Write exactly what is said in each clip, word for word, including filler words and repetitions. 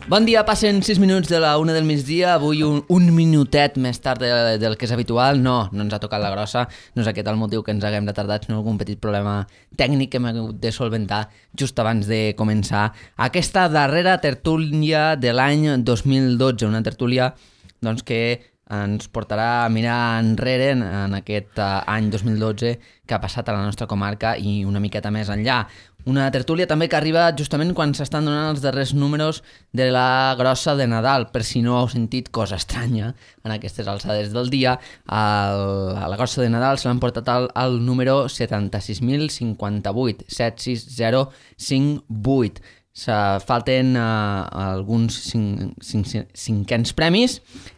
Bon dia, passen sis minuts de la una del migdia, avui un, un minutet més tard de, del que és habitual. No, no ens ha tocat la grossa, no és aquest el motiu que ens haguem retardat, sinó algun petit problema tècnic que hem hagut de solventar just abans de començar aquesta darrera tertúlia de l'any dos mil dotze, una tertúlia doncs, que ens portarà a mirar enrere en, en aquest uh, any dos mil dotze que ha passat a la nostra comarca i una miqueta més enllà. Una tertúlia també que arriba justament quan s'estan donant els darrers números de la grossa de Nadal. Per si no heu sentit cosa estranya en aquestes alçades del dia, el, a la grossa de Nadal se l'han portat al, al número setanta-sis mil cinquanta-vuit, set sis zero cinc vuit. Se falten uh, alguns cinc, cinc, cinquens premis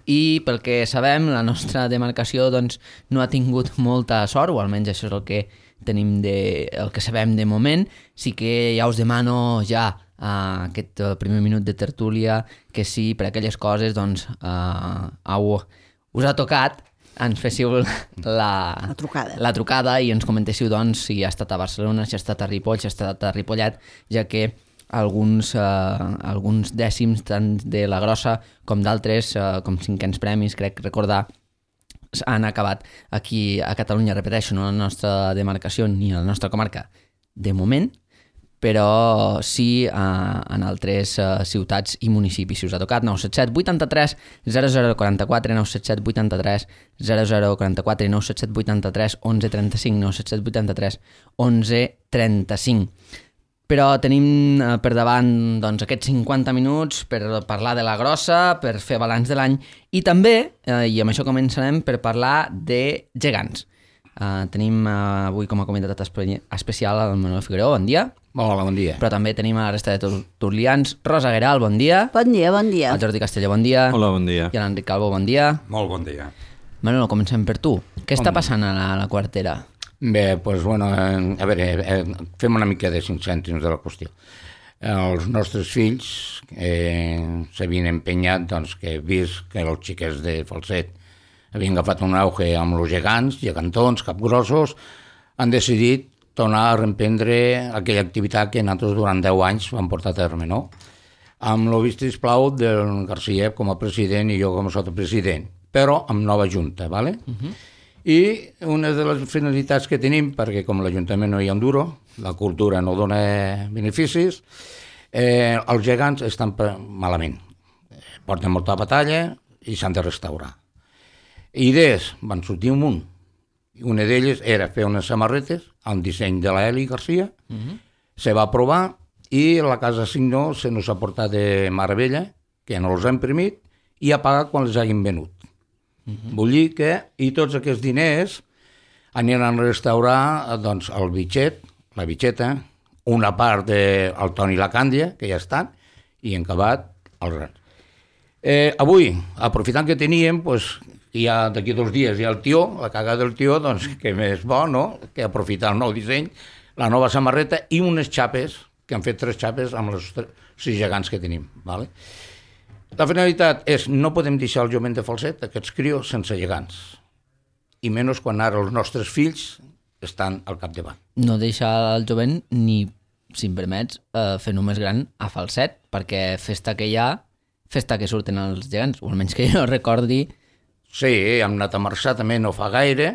i pel que sabem la nostra demarcació doncs, no ha tingut molta sort, o almenys això és el que tenim de, el que sabem de moment. Sí que ja us demano ja uh, aquest primer minut de tertúlia que si per aquelles coses doncs, uh, au, us ha tocat ens féssiu la, la, trucada. la trucada i ens comentéssiu doncs, si ha estat a Barcelona, si ha estat a Ripoll, si ha estat a Ripollet, ja que alguns, uh, alguns dècims tant de la grossa com d'altres, uh, com cinquens premis, crec recordar, han acabat aquí a Catalunya, repeteixo, no a la nostra demarcació ni a la nostra comarca de moment, però sí uh, en altres uh, ciutats i municipis. Si us ha tocat, nou set set vuitanta-tres zero zero quaranta-quatre, nou set set vuitanta-tres zero zero quaranta-quatre i nou set set vuitanta-tres onze trenta-cinc, nou set set vuitanta-tres onze trenta-cinc. Però tenim eh, per davant doncs, aquests cinquanta minuts per parlar de la grossa, per fer balanç de l'any i també, eh, i amb això començarem, per parlar de gegants. Eh, tenim eh, avui com a convidat especial el Manuel Figueroa, bon dia. Hola, bon dia. Però també tenim a la resta de tertulians. Rosa Gueral, bon dia. Bon dia, bon dia. El Jordi Castelló, bon dia. Hola, bon dia. I l'Enric Calvo, bon dia. Molt bon dia. Manuel, comencem per tu. Què està passant a la, a la quartera? Bé, doncs, bueno, a veure, eh, fem una mica de cinc cèntims de la qüestió. Els nostres fills eh, s'havien empenyat, doncs, que vist que els xiquets de Falset havien agafat un auge amb els gegants, gegantons, capgrossos, han decidit tornar a reemprendre aquella activitat que nosaltres durant deu anys vam portar a terme, no? Amb el vistisplau del Garcia com a president i jo com a sotopresident, però amb nova junta, ¿vale? Uh-huh. I una de les finalitats que tenim, perquè com l'Ajuntament no hi ha un duro, la cultura no dona beneficis, eh, els gegants estan malament. Porten molta batalla i s'han de restaurar. Idees van sortir un munt. Una d'elles era fer unes samarretes amb disseny de la Eli Garcia, uh-huh. Se va aprovar i la Casa Signó se nos ha portat de meravella, que no els ha imprimit i ha pagat quan les hagin venut. Uh-huh. Vull dir que, i tots aquests diners aniran a restaurar doncs, el bitxet, la bitxeta, una part del Toni i la Càndia, que ja estan, i en acabat els grans. Eh, avui, aprofitant que teníem, doncs, ja d'aquí dos dies hi ha el tió, la cagada del tió, doncs que més bo, no?, que aprofitar el nou disseny, la nova samarreta i unes xapes, que han fet tres xapes amb els sis gegants que tenim, ¿vale? La finalitat és no podem deixar el jovent de Falset, aquests crios, sense gegants. I menys quan ara els nostres fills estan al capdavant. No deixar el jovent ni, si em permets, eh, fer només gran a Falset, perquè festa que hi ha, festa que surten els gegants, o almenys que jo recordi. Sí, hem anat a Marçà també no fa gaire,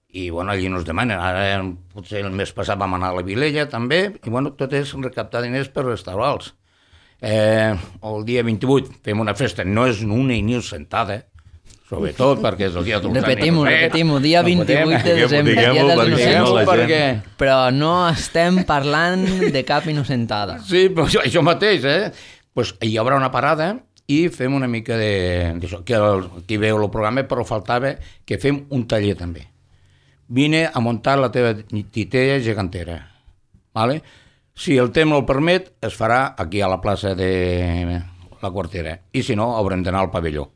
i bueno, allí no es demanen. Ara potser el mes passat vam anar a la Vilella també, i bueno, tot és recaptar diners per restaurar-los. Eh, el dia vint-i-vuit fem una festa, no és una i ni sentada, sobretot perquè és el dia dels anys. Repetim-ho, repetim-ho, dia vint-i-vuit de desembre, dia dels innocents, perquè... però no estem parlant de cap innocentada. Sí, però això, això mateix, eh? Pues hi haurà una parada i fem una mica de... d'això, que el, aquí veu el programa, però faltava que fem un taller també. Vine a muntar la teva titella gegantera, ¿vale? Si el temps el permet, es farà aquí a la plaça de la Quartera. I si no, haurem d'anar al pavelló.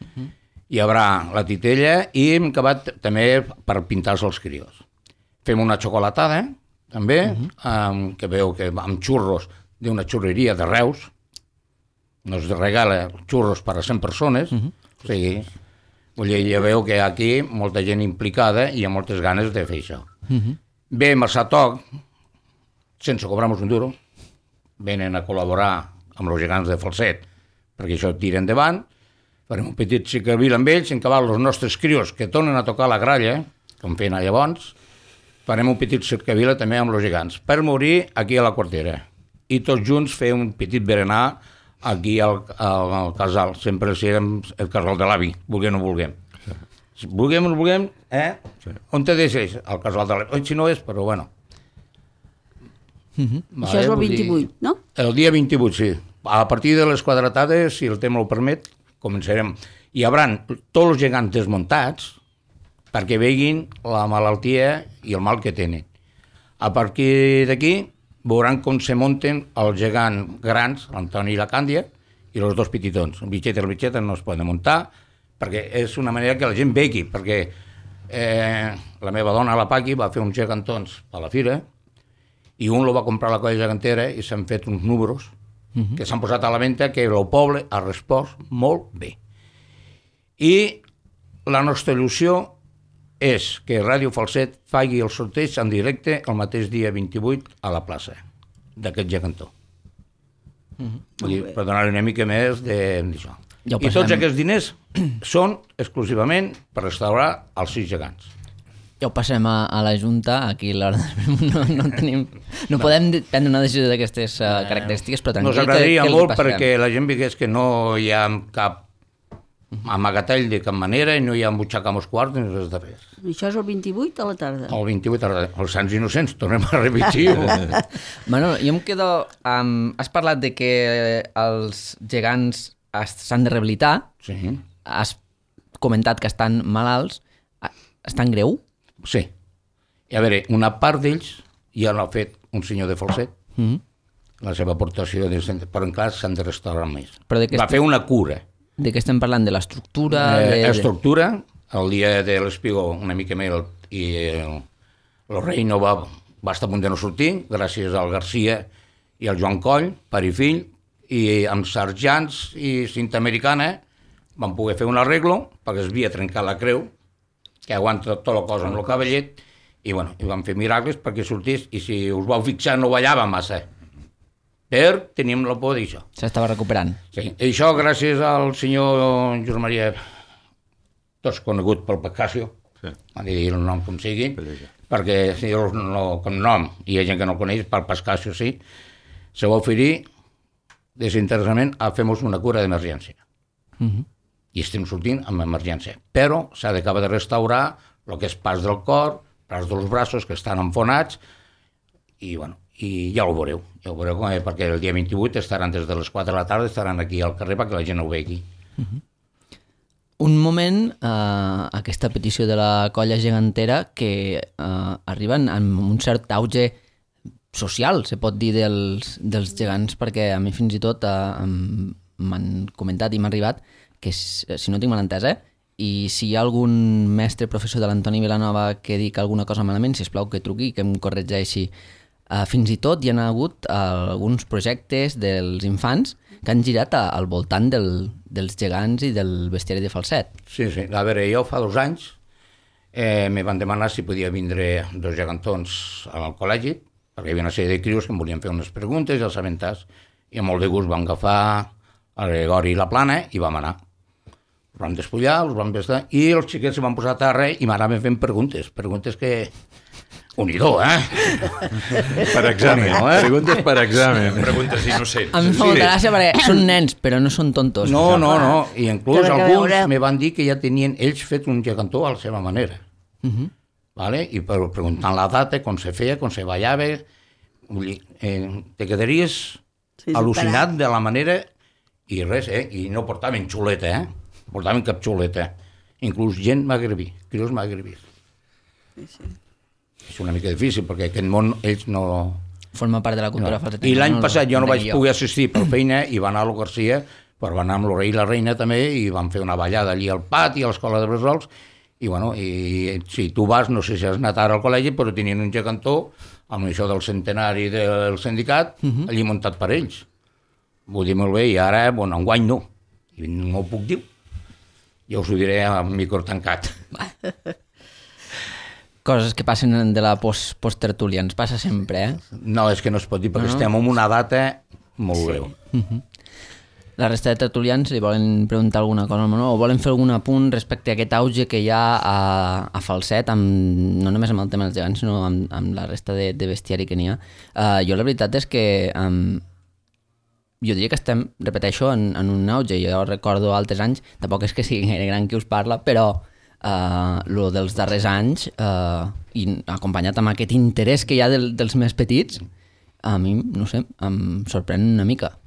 Uh-huh. Hi haurà la titella i hem acabat també per pintar-se els crios. Fem una xocolatada, també, uh-huh. um, que veu que amb xurros d'una xurreria de Reus, nos regala xurros per a cent persones, uh-huh. O sigui, vull dir, ja veu que aquí molta gent implicada i hi ha moltes ganes de fer això. Uh-huh. Ve Massatoc, sense cobrar-nos un duro, venen a col·laborar amb els gegants de Falset, perquè això tira endavant, farem un petit cercavil amb ells, en acabar els nostres crios que tornen a tocar la gralla, com feien llavors, farem un petit cercavila també amb els gegants, per morir aquí a la quartera. I tots junts fer un petit berenar aquí al, al, al casal. Sempre siguem el casal de l'avi, vulguem o no vulguem. Sí. Vulguem o no vulguem, eh? Sí. On te deixes? Al casal de l'avi. Si no és, però bueno. Mm-hmm. Vale, això és el vint-i-vuit, dir... no? El dia vint-i-vuit, sí. A partir de les quadratades, si el tema ho permet, començarem. Hi haurà tots els gegants desmuntats perquè veguin la malaltia i el mal que tenen. A partir d'aquí, veuran com se munten els gegants grans, l'Antoni i la Càndia, i els dos petitons. El bitxet i el bitxet no es poden muntar, perquè és una manera que la gent vegi, perquè eh, la meva dona, la Paqui, va fer uns gegantons a la fira, i un lo va comprar a la colla gegantera i s'han fet uns números uh-huh. que s'han posat a la venda que el poble ha respost molt bé. I la nostra il·lusió és que Ràdio Falset faci el sorteig en directe el mateix dia vint-i-vuit a la plaça d'aquest gegantó. Mm-hmm. Vull dir, per donar una mica més d'això. Ja I tots aquests diners són exclusivament per restaurar els sis gegants. Ja ho passem a, a la Junta, aquí l'hora de... no, no, tenim, no podem prendre una decisió d'aquestes uh, característiques, però tranquil. Nos agradaria que, que molt perquè la gent veiés que no hi ha cap amagatall de cap manera i no hi ha butxaca amb els quarts ni res de res. Això és el vint-i-vuit a la tarda? El vint-i-vuit a la tarda. Els Sants Innocents, tornem a repetir. Manolo, jo em quedo... Um, has parlat de que els gegants s'han de rehabilitar. Sí. Has comentat que estan malalts. Estan greu? Sí. I a veure, una part d'ells ja l'ha fet un senyor de Falset, mm-hmm. la seva aportació, de... però encara s'han de restaurar més. Va est... fer una cura. De què estem parlant? De l'estructura? Eh, de... Estructura, el dia de l'Espigó una mica més i el, el rei no va, va estar a punt de no sortir, gràcies al Garcia i al Joan Coll, pare i fill, i amb serjants i cinta americana van poder fer un arreglo perquè es havia trencat la creu, que aguanta tota la cosa amb el cavallet, i, bueno, i van fer miracles perquè sortís, i si us vau fixar no ballava massa. Per teníem la por d'això. S'estava recuperant. Sí, i això gràcies al senyor Josep Maria, tots conegut pel Pascasio, sí. Han de dir el nom com sigui, perquè si el no, com nom, i hi ha gent que no el coneix, pel Pascasio sí, se va oferir desinteressament a fer-nos una cura d'emergència. Uh-huh. I estem sortint amb emergència. Però s'ha d'acabar de restaurar el que és pas del cor, pas dels braços que estan enfonats, i bueno, i ja ho veureu, ja ho veureu com, perquè el dia vint-i-vuit estaran des de les quatre de la tarda, estaran aquí al carrer perquè la gent ho vegi. Uh-huh. Un moment, eh, aquesta petició de la colla gegantera que eh, arriben amb un cert auge social, se pot dir, dels, dels gegants, perquè a mi fins i tot eh, m'han comentat i m'ha arribat que, si no tinc mal entès, eh, i si hi ha algun mestre professor de l'Antoni Vilanova que dic alguna cosa malament, sisplau que truqui i que em corregeixi. Uh, fins i tot hi ha hagut uh, alguns projectes dels infants que han girat a, al voltant del, dels gegants i del bestiari de Falset. Sí, sí. A veure, jo fa dos anys eh, me van demanar si podia vindre dos gegantons al col·legi, perquè hi havia una sèrie de crios que em volien fer unes preguntes i els aventats, i amb molt de gust vam agafar el Gregori i la Plana i vam anar. Els vam despullar, els vam vestir, i els xiquets se van posar a terra i m'anaven fent preguntes, preguntes que... Unidor, eh? Per examen, eh? Preguntes per examen. Preguntes innocents. A mi em fa molta gràcia perquè són nens, però no són tontos. No, no, no. I inclús alguns me van dir que ja tenien ells fet un gegantó a la seva manera. Uh-huh. Vale? I per preguntant la data, com se feia, com se ballava, vull dir, eh, te quedaries sí, al·lucinat de la manera i res, eh? I no portaven xuleta, eh? Portaven cap xuleta. Inclús gent magrebí, crios magrebís. Sí, sí. És una mica difícil, perquè aquest món ells no... Forma part de la cultura no. falsetina. I l'any no, passat jo no vaig jo. poder assistir per feina i va anar a lo Garcia, però va anar amb el rei i la reina també, i van fer una ballada allí al pati, a l'escola de Bresols, i bueno, i si tu vas, no sé si has anat ara al col·legi, però tenien un gegantó amb això del centenari del sindicat, uh-huh. allí muntat per ells. vull dir molt bé, i ara, bueno, enguany no, i no ho puc dir, ja us ho diré amb micro tancat. Coses que passen de la post, post-tertúlia, ens passa sempre, eh? No, és que no es pot dir, perquè no, no. estem en una data molt greu. Sí. Uh-huh. La resta de tertulians li volen preguntar alguna cosa o volen fer algun apunt respecte a aquest auge que hi ha a, a Falset, amb, no només amb el tema dels gegants, sinó amb, amb la resta de, de bestiari que n'hi ha. Uh, jo la veritat és que um, jo diria que estem, repeteixo, en, en un auge. Jo recordo altres anys, tampoc és que sigui gaire gran qui us parla, però uh, lo dels darrers anys, uh, i acompanyat amb aquest interès que hi ha del, dels més petits, a mi, no sé, em sorprèn una mica.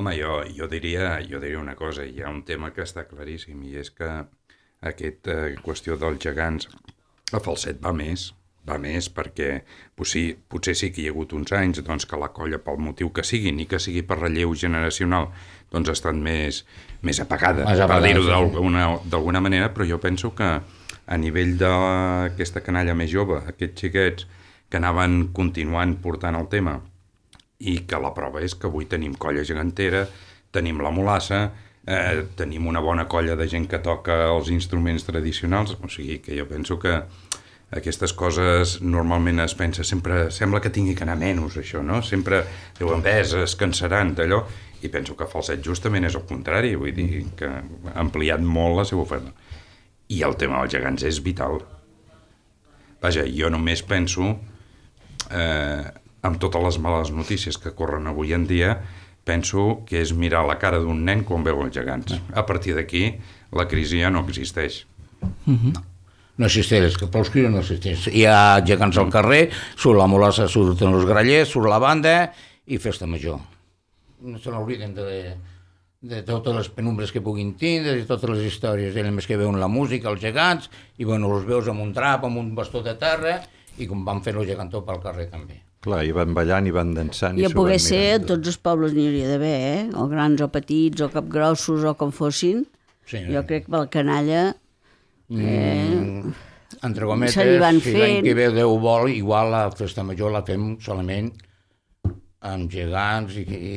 Home, jo, jo, diria, jo diria una cosa, hi ha un tema que està claríssim, i és que aquesta eh, qüestió dels gegants a Falset va més, va més perquè potser, potser sí que hi ha hagut uns anys doncs, que la colla, pel motiu que sigui, ni que sigui per relleu generacional, doncs ha estat més, més apagada, més apagada, per dir-ho d'alguna, d'alguna manera, però jo penso que a nivell d'aquesta canalla més jove, aquests xiquets que anaven continuant portant el tema, i que la prova és que avui tenim colla gegantera, tenim la mulassa, eh, tenim una bona colla de gent que toca els instruments tradicionals, o sigui que jo penso que aquestes coses normalment es pensa, sempre sembla que tingui que anar menys això, no? Sempre diuen, ves, es cansaran d'allò, i penso que Falset justament és el contrari, vull dir que ha ampliat molt la seva oferta. I el tema dels gegants és vital. Vaja, jo només penso... Eh, amb totes les males notícies que corren avui en dia, penso que és mirar la cara d'un nen quan veu els gegants. A partir d'aquí, la crisi ja no existeix. Mm-hmm. No. No existeix, que pels crios no existeix. Hi ha gegants al carrer, surt la molassa, surten els grallers, surt la banda i festa major. No se n'obliden de, de totes les penumbres que puguin tindre, de totes les històries. Ells més que veuen la música, els gegants, i bueno, els veus amb un drap, amb un bastó de terra, i com van fer el gegantó pel carrer també. Clar, i van ballant i van dansant. I a poder ser, a tots els pobles n'hi hauria d'haver, eh? O grans o petits, o capgrossos, o com fossin. Sí, jo crec que per la canalla... Eh, mm, entre gometes, si l'any que ve Déu vol, igual la festa major la fem solament amb gegants i, i,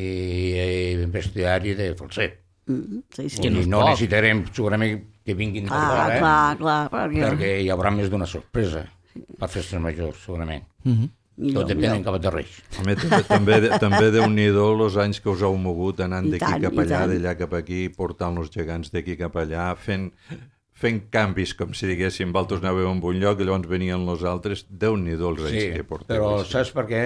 i bestiari de Falset. Mm, sí, sí. I no, no necessitarem segurament que vinguin de fora, eh? Clar, clar, perquè... perquè hi haurà més d'una sorpresa per festes majors, segurament. Mhm. Millor, Tot depèn en cap de Reis. Home, també, també, també Déu-n'hi-do els anys que us heu mogut anant d'aquí cap allà, d'allà cap aquí, portant els gegants d'aquí cap allà, fent, fent canvis, com si diguéssim, vosaltres anàveu a un lloc i llavors venien els altres. Déu-n'hi-do els anys sí, que porteu. Però saps per què?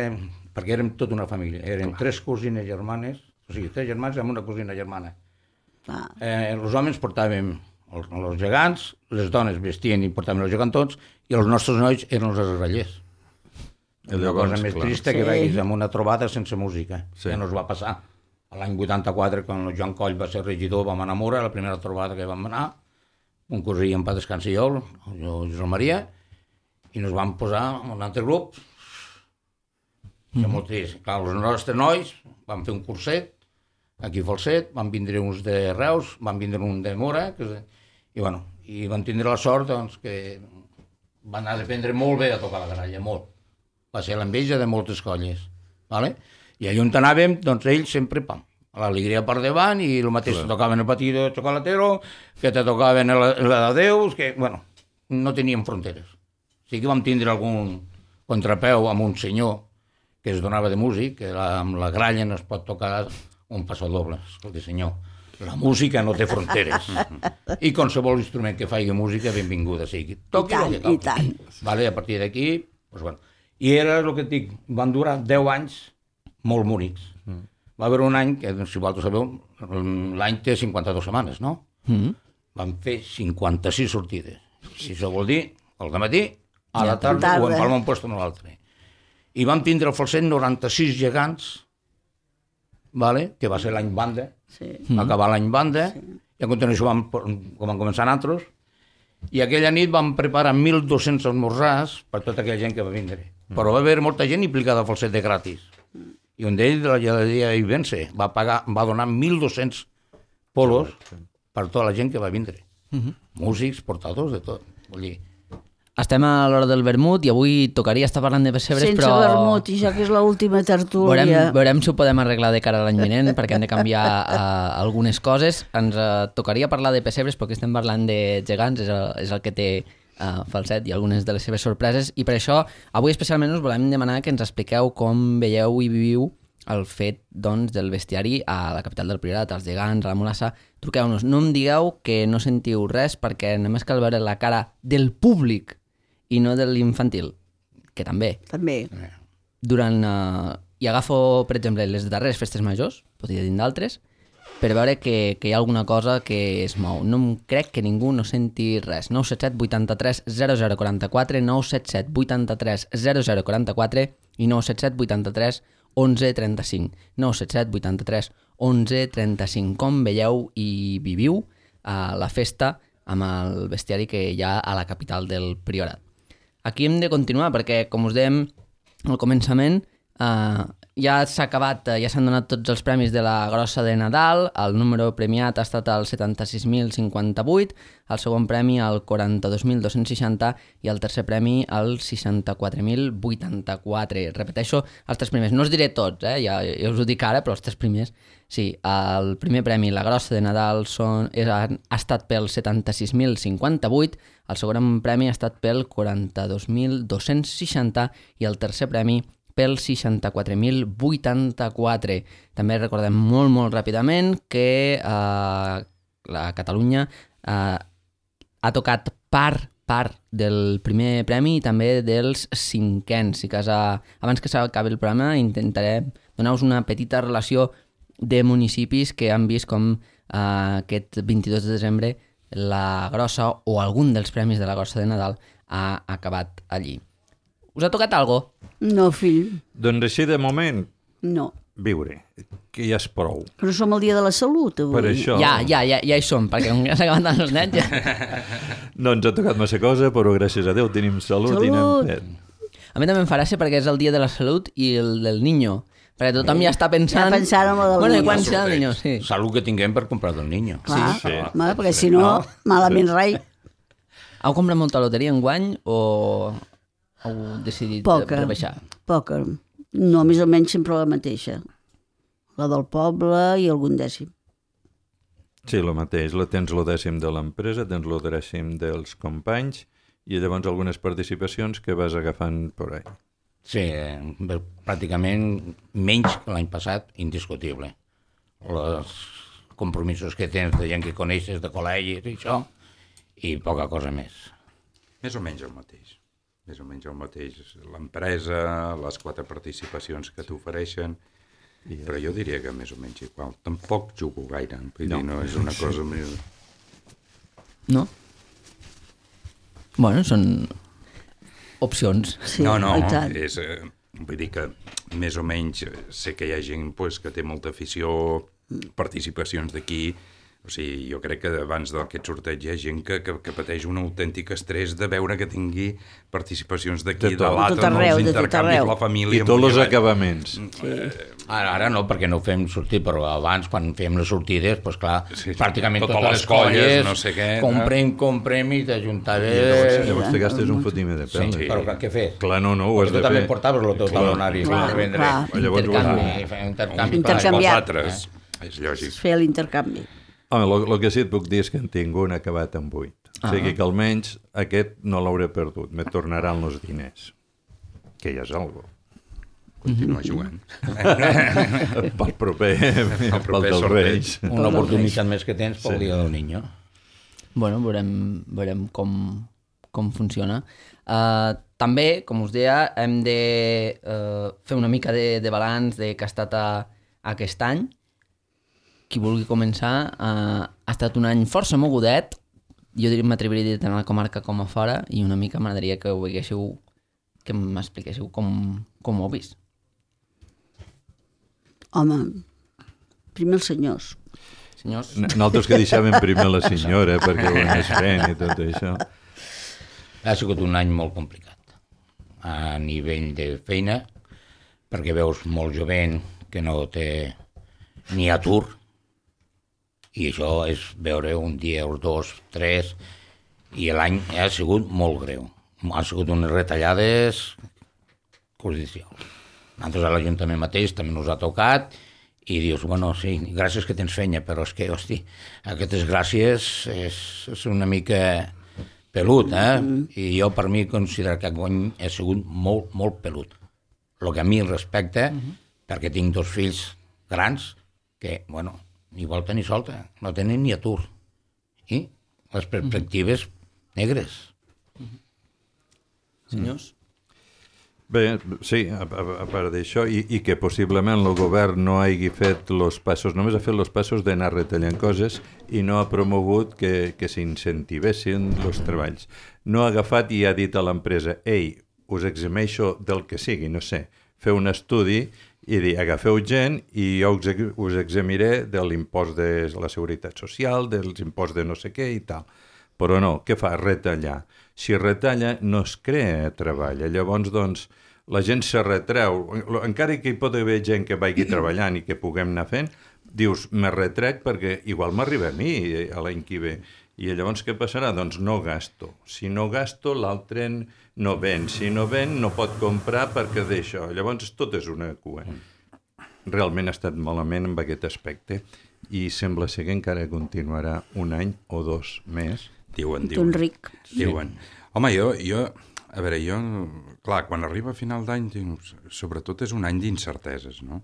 Perquè érem tota una família. Érem Clar. tres cosines germanes, o sigui, tres germans amb una cosina germana. Eh, els homes portàvem els, els gegants, les dones vestien i portaven els gegantons, i els nostres nois eren els grallers. La cosa més clar. trista que sí. vegis amb una trobada sense música. Sí. Ja no es va passar. L'any vuitanta-quatre, quan el Joan Coll va ser regidor, vam anar a Mura, la primera trobada que vam anar, un cosí en pa descansi jo, el Josep Maria, i nos vam posar en un altre grup. Mm. Molt trist. Clar, els nostres nois van fer un curset, aquí a Falset, van vindre uns de Reus, van vindre un de Mura, que és... i bueno, i van tindre la sort doncs, que van anar a aprendre molt bé a tocar la canalla, molt. Va ser l'enveja de moltes colles. Vale? I allà on anàvem, doncs ells sempre, pam, l'alegria per davant, i el mateix te tocaven el patí de xocolatero, que te tocaven el, el de Déus, que, bueno, no teníem fronteres. Sí que vam tindre algun contrapeu amb un senyor que es donava de músic, que la, amb la gralla no es pot tocar un passadoble. Escolta, senyor, la música no té fronteres. I qualsevol instrument que faci música, benvinguda sigui. Toqui el que toqui. I tant. Vale, a partir d'aquí, doncs bueno. I era el que et dic, van durar deu anys molt bonics. Mm. Va haver un any, que si vosaltres sabeu, l'any té cinquanta-dues setmanes, no? Mm. Van fer cinquanta-sis sortides. Si això vol dir, al dematí, a la tarda, o en palma un puesto en l'altre. I van tindre al Falset noranta-sis gegants, vale? Que va ser l'any banda, sí. Va acabar l'any banda, sí. I a continuació vam, com van començar nosaltres, i aquella nit vam preparar mil dos-cents esmorzars per tota aquella gent que va vindre. Mm. Però va haver molta gent implicada al Falset de gratis. Mm. I un d'ells, de la llegaderia Ibense, va, pagar, va donar mil dos-cents polos per tota la gent que va vindre. Mm-hmm. Músics, portadors, de tot. Vull dir, estem a l'hora del vermut i avui tocaria estar parlant de pessebres, Sense però... Sense vermut, i ja que és l'última tertúlia. Veurem, veurem si ho podem arreglar de cara a l'any vinent, perquè hem de canviar uh, algunes coses. Ens uh, tocaria parlar de pessebres, perquè estem parlant de gegants, és el, és el que té uh, Falset i algunes de les seves sorpreses, i per això avui especialment us volem demanar que ens expliqueu com veieu i viviu el fet doncs, del bestiari a la capital del Priorat, als gegants, a la Mulassa. Truqueu-nos, no em digueu que no sentiu res, perquè només cal veure la cara del públic i no de l'infantil, que també. També. Durant, uh, I agafo, per exemple, les darreres festes majors, podria dir d'altres, per veure que, que hi ha alguna cosa que es mou. No em crec que ningú no senti res. nou set set vuitanta-tres zero zero quaranta-quatre, nou set set vuitanta-tres zero zero quaranta-quatre i nou set set vuitanta-tres onze trenta-cinc. nou set set vuitanta-tres onze trenta-cinc. Com veieu i viviu a la festa amb el bestiari que hi ha a la capital del Priorat? Aquí hem de continuar perquè, com us dèiem al començament, eh, ja s'ha acabat, ja s'han donat tots els premis de la grossa de Nadal. El número premiat ha estat el setanta-sis mil cinquanta-vuit, el segon premi el quaranta-dos mil dos-cents seixanta i el tercer premi el seixanta-quatre mil vuitanta-quatre. Repeteixo, els tres primers. No us diré tots, eh? ja, ja us ho dic ara, però els tres primers, sí. El primer premi, la grossa de Nadal, són, és, ha, ha estat pel setanta-sis mil cinquanta-vuit, el segon premi ha estat pel quaranta-dos mil dos-cents seixanta i el tercer premi pel seixanta-quatre mil vuitanta-quatre. També recordem molt, molt ràpidament que eh, la Catalunya eh, ha tocat part, part del primer premi i també dels cinquens. Si casa, abans que s'acabi el programa intentaré donar-vos una petita relació de municipis que han vist com eh, aquest vint-i-dos de desembre la grossa o algun dels premis de la grossa de Nadal ha acabat allí. Us ha tocat algo? No, fill. Doncs així de moment, no. Viure, que ja és prou. Però som el dia de la salut, avui. Per això... Ja, ja, ja, ja hi som, perquè com ja s'acaben tant els nens ja... No ens ha tocat massa cosa, però gràcies a Déu tenim salut, salut. I n'hem fet. A mi també em fa gràcia perquè és el dia de la salut i el del niño. Perquè tothom ja està pensant... Ja pensant en el del bueno, niño. I quan serà el niño, sí. Salut que tinguem per comprar del niño. Clar, sí, sí. Home, perquè si no, malament rai. Heu comprat molta loteria enguany o heu decidit Poca, rebaixar? Poca. No, més o menys sempre la mateixa. La del poble i algun dècim. Sí, el mateix. La tens el dècim de l'empresa, tens el dècim dels companys i llavors algunes participacions que vas agafant per ahí. Sí, eh, pràcticament menys que l'any passat, indiscutible. Els compromisos que tens de gent que coneixes, de col·legis i això, i poca cosa més. Més o menys el mateix. Més o menys el mateix. L'empresa, les quatre participacions que t'ofereixen, però jo diria que més o menys igual. Tampoc jugo gaire, vull no. dir, no és una cosa més... No? Bueno, són opcions. Sí, no, no, i tant. és, eh, vull dir que més o menys sé que hi ha gent pues, que té molta afició, participacions d'aquí, o sigui, jo crec que abans d'aquest sorteig hi ha gent que, que, que pateix un autèntic estrès de veure que tingui participacions d'aquí, de, de l'altre, els intercanvis, la família... I tots els acabaments. Sí. Ara, ara no, perquè no ho fem sortir, però abans, quan fem les sortides, doncs clar, sí, pràcticament totes, totes les les colles, colles no sé què, comprem, comprem i t'ajuntaves... Llavors, llavors te gastes un fotimer de pèl. Sí, però què fes? Clar, no, no, ho has tu de també fer. portaves el teu talonari per vendre. Clar. Llavors, Intercanvi. Intercanvi. Intercanviar. Altres, és lògic. Es feia l'intercanvi. Home, el que sí et puc dir és que en tinc un acabat amb vuit. O sigui que almenys aquest no l'hauré perdut. Me tornaran els diners. Que ja és algo. Continua jugant. Pel proper, pel proper dels sorteig. Reis. Una oportunitat més que tens pel dia del niño. Bueno, veurem, veurem com, com funciona. Uh, també, com us deia, hem de uh, fer una mica de, de balanç de que ha estat a, aquest any. Qui vulgui començar, uh, ha estat un any força mogudet. Jo diria m'atreviria a dir tant a la comarca com a fora, i una mica m'agradaria que ho veiéssiu, que m'expliquéssiu com, com ho heu vist. Home, primer els senyors. Senyors? Nosaltres que deixàvem primer la senyora perquè ho anés fent i tot això. Ha sigut un any molt complicat a nivell de feina, perquè veus molt jovent que no té ni atur, i això és veure un dia, els dos, tres, i l'any ha sigut molt greu, han sigut unes retallades judicials. Nosaltres a l'Ajuntament mateix també ens ha tocat i dius, bueno, sí, gràcies que tens feina, però és que, hosti, aquestes gràcies és, és una mica pelut, eh? I jo per mi considero que guany he sigut molt, molt pelut. El que a mi respecta, perquè tinc dos fills grans que, bueno, ni volta ni solta, no tenen ni atur. I les perspectives negres. Senyors? Bé, sí, a, a, a part d'això, i, i que possiblement el govern no hagi fet els passos, només ha fet els passos d'anar retallant coses i no ha promogut que, que s'incentivessin els treballs. No ha agafat i ha dit a l'empresa, ei, us eximeixo del que sigui, no sé, feu un estudi i dir, agafeu gent i jo us, us eximiré de l'impost de la Seguretat Social, dels imposts de no sé què i tal. Però no, què fa? Retallar. Si retalla, no es crea treball. Llavors, doncs, la gent se retreu. Encara que hi pot haver gent que vagi treballant i que puguem anar fent, dius, me retrec perquè igual m'arriba a mi a l'any que ve. I llavors què passarà? Doncs no gasto. Si no gasto, l'altre no ven. Si no ven, no pot comprar perquè d'això. Llavors, tot és una cua. Realment ha estat malament en aquest aspecte i sembla ser que encara continuarà un any o dos més. Diuen, diuen. Ric. Diuen. Home, jo, jo, a veure, jo, clar, quan arriba a final d'any, sobretot és un any d'incerteses, no?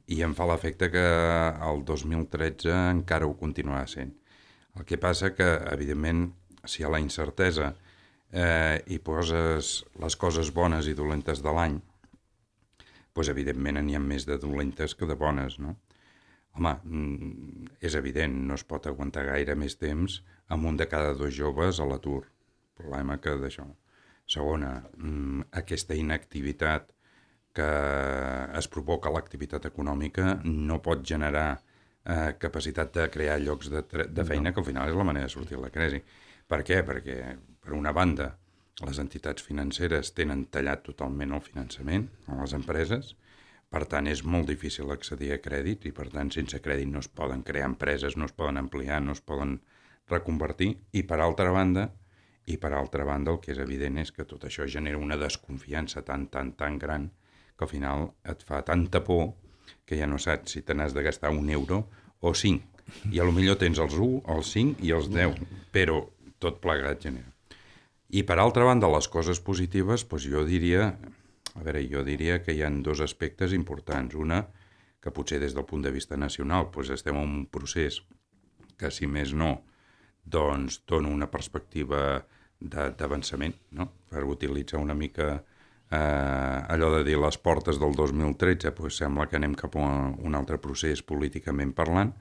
I em fa l'efecte que el dos mil tretze encara ho continuarà sent. El que passa que, evidentment, si a la incertesa eh, hi poses les coses bones i dolentes de l'any, doncs, evidentment, n'hi ha més de dolentes que de bones, no? Home, és evident, no es pot aguantar gaire més temps amb un de cada dos joves a l'atur. Problema que d'això. Segona, aquesta inactivitat que es provoca a l'activitat econòmica no pot generar eh, capacitat de crear llocs de, de feina, que al final és la manera de sortir de la crisi. Per què? Perquè, per una banda, les entitats financeres tenen tallat totalment el finançament a les empreses. Per tant, és molt difícil accedir a crèdit i, per tant, sense crèdit no es poden crear empreses, no es poden ampliar, no es poden reconvertir. I, per altra banda, i per altra banda, el que és evident és que tot això genera una desconfiança tan, tan, tan gran que al final et fa tanta por que ja no saps si te n'has de gastar un euro o cinc. I a lo millor tens els un, els cinc i els deu, però tot plegat genera. I, per altra banda, les coses positives, doncs jo diria... A veure, jo diria que hi ha dos aspectes importants. Una, que potser des del punt de vista nacional doncs estem en un procés que, si més no, doncs dona una perspectiva d'avançament, no? Per utilitzar una mica eh, allò de dir les portes del dos mil tretze, doncs sembla que anem cap a un altre procés políticament parlant,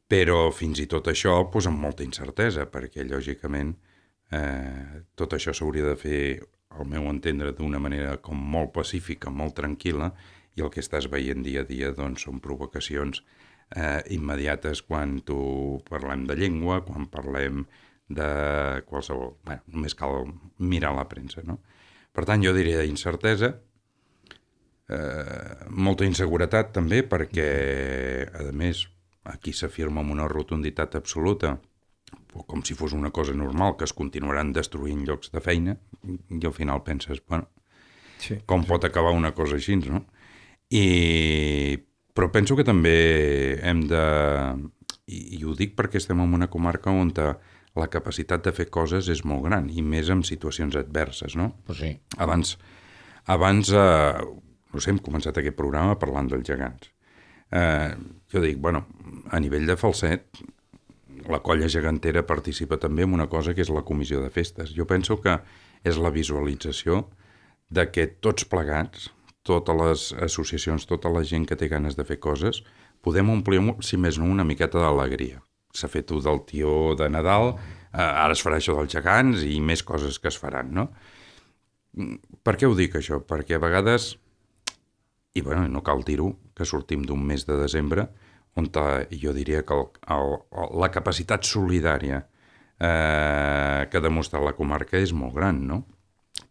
però fins i tot això doncs, amb molta incertesa, perquè, lògicament, eh, tot això s'hauria de fer, al meu entendre, d'una manera com molt pacífica, molt tranquil·la, i el que estàs veient dia a dia doncs, són provocacions eh, immediates quan tu parlem de llengua, quan parlem de qualsevol... Bé, només cal mirar la premsa, no? Per tant, jo diria incertesa, eh, molta inseguretat també, perquè, a més, aquí s'afirma amb una rotunditat absoluta, com si fos una cosa normal, que es continuaran destruint llocs de feina, i al final penses, bueno, sí, com sí. pot acabar una cosa així, no? I... Però penso que també hem de... I, i ho dic perquè estem en una comarca on la capacitat de fer coses és molt gran, i més en situacions adverses, no? Pues sí. Abans, abans eh, no sé, hem començat aquest programa parlant dels gegants. Eh, jo dic, bueno, a nivell de falset, la colla gegantera participa també en una cosa que és la comissió de festes. Jo penso que és la visualització de que tots plegats, totes les associacions, tota la gent que té ganes de fer coses, podem omplir, si més no, una miqueta d'alegria. S'ha fet un del tió de Nadal, eh, ara es farà això dels gegants i més coses que es faran, no? Per què ho dic, això? Perquè a vegades, i bueno, no cal dir-ho, que sortim d'un mes de desembre on jo diria que el, el, la capacitat solidària eh, que ha demostrat la comarca és molt gran, no?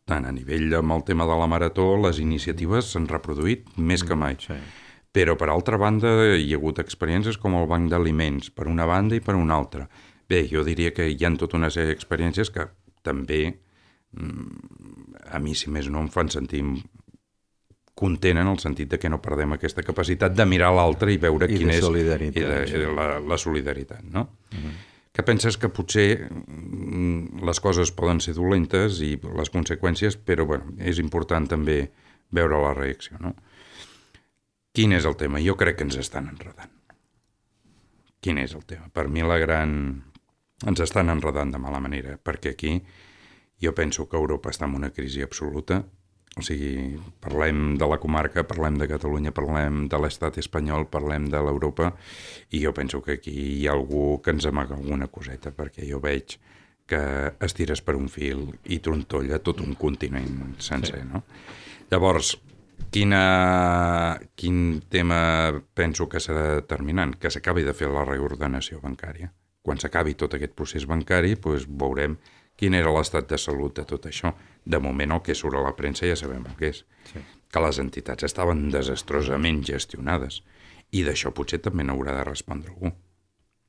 Tant a nivell amb el tema de la marató, les iniciatives s'han reproduït més que mai. Sí. Però, per altra banda, hi ha hagut experiències com el banc d'aliments, per una banda i per una altra. Bé, jo diria que hi ha tota una sèrie d'experiències que també a mi, si més no, em fan sentir content en el sentit de que no perdem aquesta capacitat de mirar l'altre i veure I quin és solidaritat, i de, sí. i de la, la solidaritat, no? Uh-huh. Que penses que potser les coses poden ser dolentes i les conseqüències, però bueno, és important també veure la reacció, no? Quin és el tema? Jo crec que ens estan enredant. Quin és el tema? Per mi la gran... Ens estan enredant de mala manera, perquè aquí jo penso que Europa està en una crisi absoluta. O sigui, parlem de la comarca, parlem de Catalunya, parlem de l'estat espanyol, parlem de l'Europa, i jo penso que aquí hi ha algú que ens amaga alguna coseta, perquè jo veig que estires per un fil i trontolla tot un continent sencer, no? Llavors, quina, quin tema penso que serà determinant? Que s'acabi de fer la reordenació bancària. Quan s'acabi tot aquest procés bancari, doncs veurem quin era l'estat de salut de tot això. De moment el que surt a la premsa ja sabem el que és. Sí. Que les entitats estaven desastrosament gestionades. I d'això potser també n'haurà de respondre algú.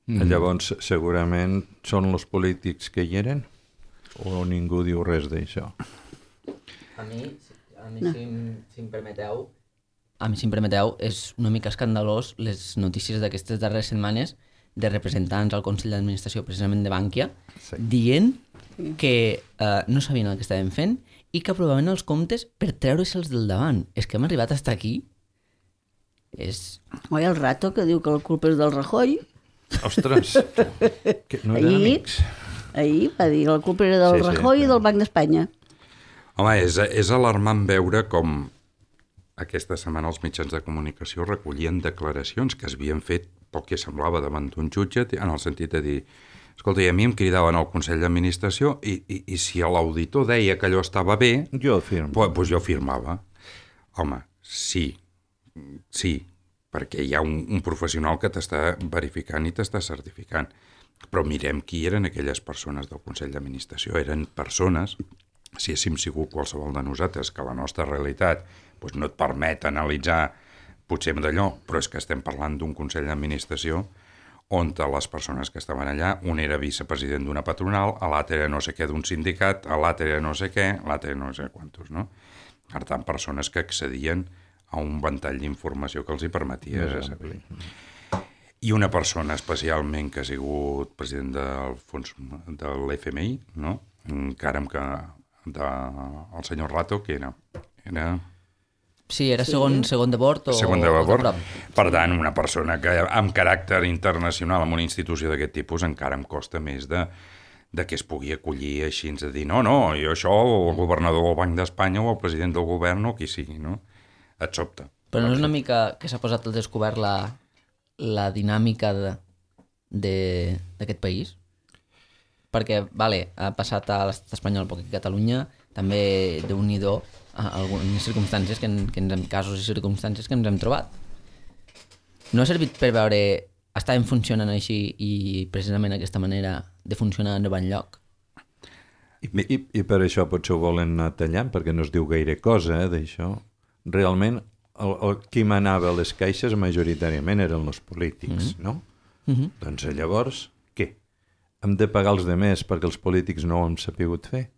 Mm. Llavors, segurament són els polítics que hi eren? O ningú diu res d'això? A mi, a mi no. si, si em permeteu, a mi, si em permeteu, és una mica escandalós les notícies d'aquestes darreres setmanes de representants al Consell d'Administració precisament de Bankia, sí. dient que eh, no sabien el que estaven fent i que aprovaven els comptes per treure-se'ls del davant. És que hem arribat fins aquí. És... Oi, el Rato, que diu que la culpa és del Rajoy. Ostres, que no eren ahir, amics. Ahir va dir que la culpa era del sí, Rajoy sí. i del Banc d'Espanya. Home, és, és alarmant veure com aquesta setmana els mitjans de comunicació recollien declaracions que es havien fet pel que semblava davant d'un jutge, en el sentit de dir, escolta, i a mi em cridaven al Consell d'Administració i, i, i si l'auditor deia que allò estava bé, jo firmo. Pues, pues jo firmava. Home, sí, sí, perquè hi ha un, un professional que t'està verificant i t'està certificant. Però mirem qui eren aquelles persones del Consell d'Administració. Eren persones, si haguéssim sigut qualsevol de nosaltres, que la nostra realitat pues, no et permet analitzar potser d'allò, però és que estem parlant d'un Consell d'Administració on les persones que estaven allà, un era vicepresident d'una patronal, l'altre era no sé què d'un sindicat, l'altre era no sé què, l'altre no sé quantos, no? Per tant, persones que accedien a un ventall d'informació que els hi permetia no, saber. I una persona especialment que ha sigut president del fons de l'F M I, no? Encara amb que de, el senyor Rato, que era... era Sí, era segon, sí. segon de bord o... Segon de bord. Per tant, una persona que amb caràcter internacional en una institució d'aquest tipus encara em costa més de, de que es pugui acollir així de dir no, no, jo això, o el governador del Banc d'Espanya o el president del govern o qui sigui, no? Et sobta. Però no és una mica que s'ha posat al descobert la, la dinàmica d'aquest país? Perquè, vale, ha passat a l'estat espanyol, però aquí a Catalunya també déu-n'hi-do algunes circumstàncies, que, en, que ens hem, casos i circumstàncies que ens hem trobat. No ha servit per veure estaven funcionant així i precisament aquesta manera de funcionar no va enlloc. I, i, I per això potser ho volen anar tallant, perquè no es diu gaire cosa eh, d'això. Realment, el, el, qui manava a les caixes majoritàriament eren els polítics, mm-hmm. no? Mm-hmm. Doncs llavors, què? Hem de pagar els demés perquè els polítics no ho hem sapigut fer?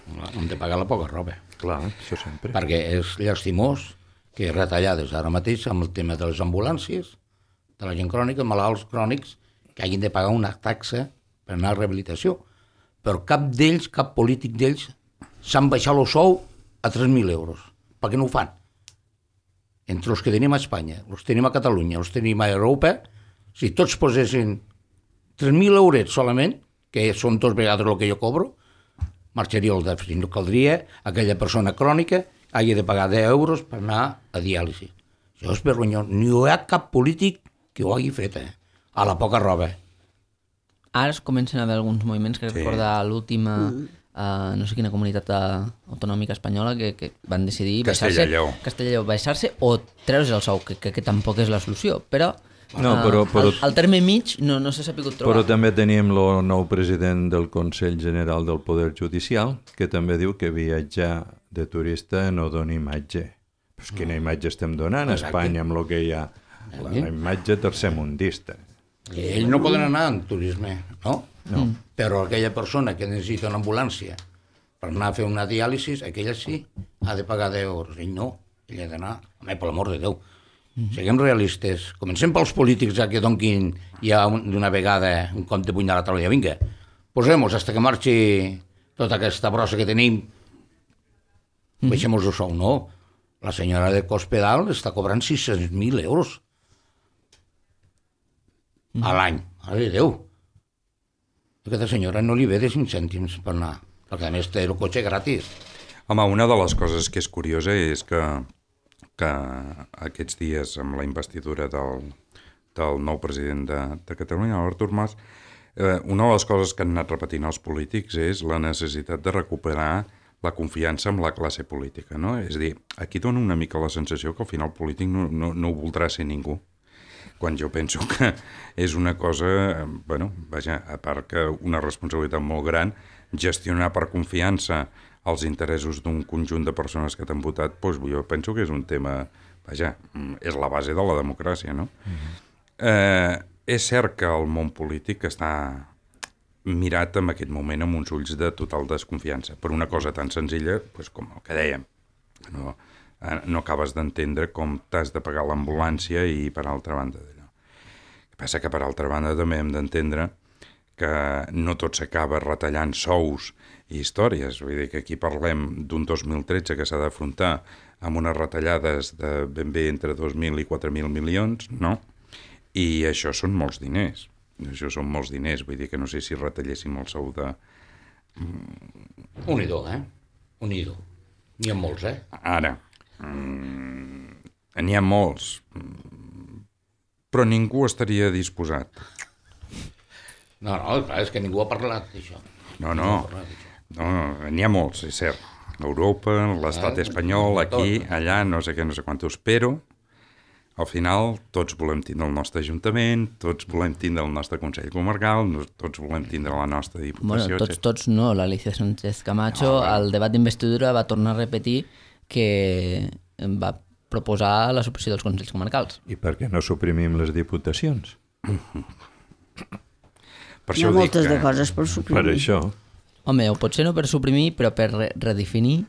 Hem de pagar la poca roba. Clar, això sempre. Perquè és llastimós que retallades ara mateix amb el tema de les ambulàncies, de la gent crònica, malalts crònics, que hagin de pagar una taxa per anar a rehabilitació. Però cap d'ells, cap polític d'ells, s'han baixat el sou a tres mil euros. Per què no ho fan? Entre els que tenim a Espanya, els tenim a Catalunya, els tenim a Europa, si tots posessin tres mil euros solament, que són dos vegades el que jo cobro, marxaria el dèficit. No caldria aquella persona crònica hagi de pagar deu euros per anar a diàlisi. Això és vergonyós. No hi ha cap polític que ho hagi fet, eh? A la poca roba. Ara es comencen a haver alguns moviments que sí. Recorda l'última, mm. uh, no sé quina comunitat autonòmica espanyola que, que van decidir Castella Lleó. Castella Lleó, baixar-se o treure's el sou, que, que, que tampoc és la solució, però... No, però, però, al, al terme mig no, no s'ha sapigut trobar. Però també teníem el nou president del Consell General del Poder Judicial, que també diu que viatjar de turista no dona imatge. Però quina imatge estem donant a Espanya amb el que hi ha? La, la imatge tercermundista. I ells no poden anar en turisme, no? No. Però aquella persona que necessita una ambulància per anar a fer una diàlisi, aquella sí, ha de pagar deu euros. Ell no, ell ha d'anar, home, per l'amor de Déu. Siguem realistes. Comencem pels polítics ja que donquin ja d'una vegada un cop de puny a la taula. Vinga, posem-nos fins que marxi tota aquesta brossa que tenim. Baixem-nos el sou, no. La senyora de Cospedal està cobrant sis-cents mil euros a l'any. Mare de Déu. Aquesta senyora no li ve de cinc cèntims per anar, perquè a més té el cotxe gratis. Home, una de les coses que és curiosa és que, que aquests dies, amb la investidura del, del nou president de, de Catalunya, l'Artur Mas, eh, una de les coses que han anat repetint els polítics és la necessitat de recuperar la confiança amb la classe política, no? És a dir, aquí dona una mica la sensació que al final el polític no, no, no ho voldrà ser ningú, quan jo penso que és una cosa, bueno, vaja, a part que una responsabilitat molt gran, gestionar per confiança els interessos d'un conjunt de persones que t'han votat, doncs jo penso que és un tema, vaja, és la base de la democràcia, no? Mm-hmm. eh, és cert que el món polític està mirat en aquest moment amb uns ulls de total desconfiança, per una cosa tan senzilla doncs com el que dèiem, no, no acabes d'entendre com t'has de pagar l'ambulància i per altra banda d'allò. El que passa que per altra banda també hem d'entendre que no tot s'acaba retallant sous i històries, vull dir que aquí parlem d'un dos mil tretze que s'ha d'afrontar amb unes retallades de ben bé entre dos mil i quatre mil milions, no? I això són molts diners, això són molts diners, vull dir que no sé si retalléssim el sou de... Unidor, eh? Unidor. N'hi ha molts, eh? Ara, n'hi ha molts, però ningú estaria disposat. No, no, clar, és que ningú ha parlat d'això. No, no, no, n'hi ha molts, és cert. Europa, l'estat espanyol, aquí, allà, no sé què, no sé quantos, però al final tots volem tindre el nostre ajuntament, tots volem tindre el nostre Consell Comarcal, tots volem tindre la nostra Diputació. Bueno, tots, tots no. L'Alicia Sánchez Camacho, no, al debat d'investidura, va tornar a repetir que va proposar la supressió dels Consells Comarcals. I per què no suprimim les diputacions? Per Hi ha moltes que... de coses per suprimir. Per això. Home, o potser no per suprimir, però per re redefinir,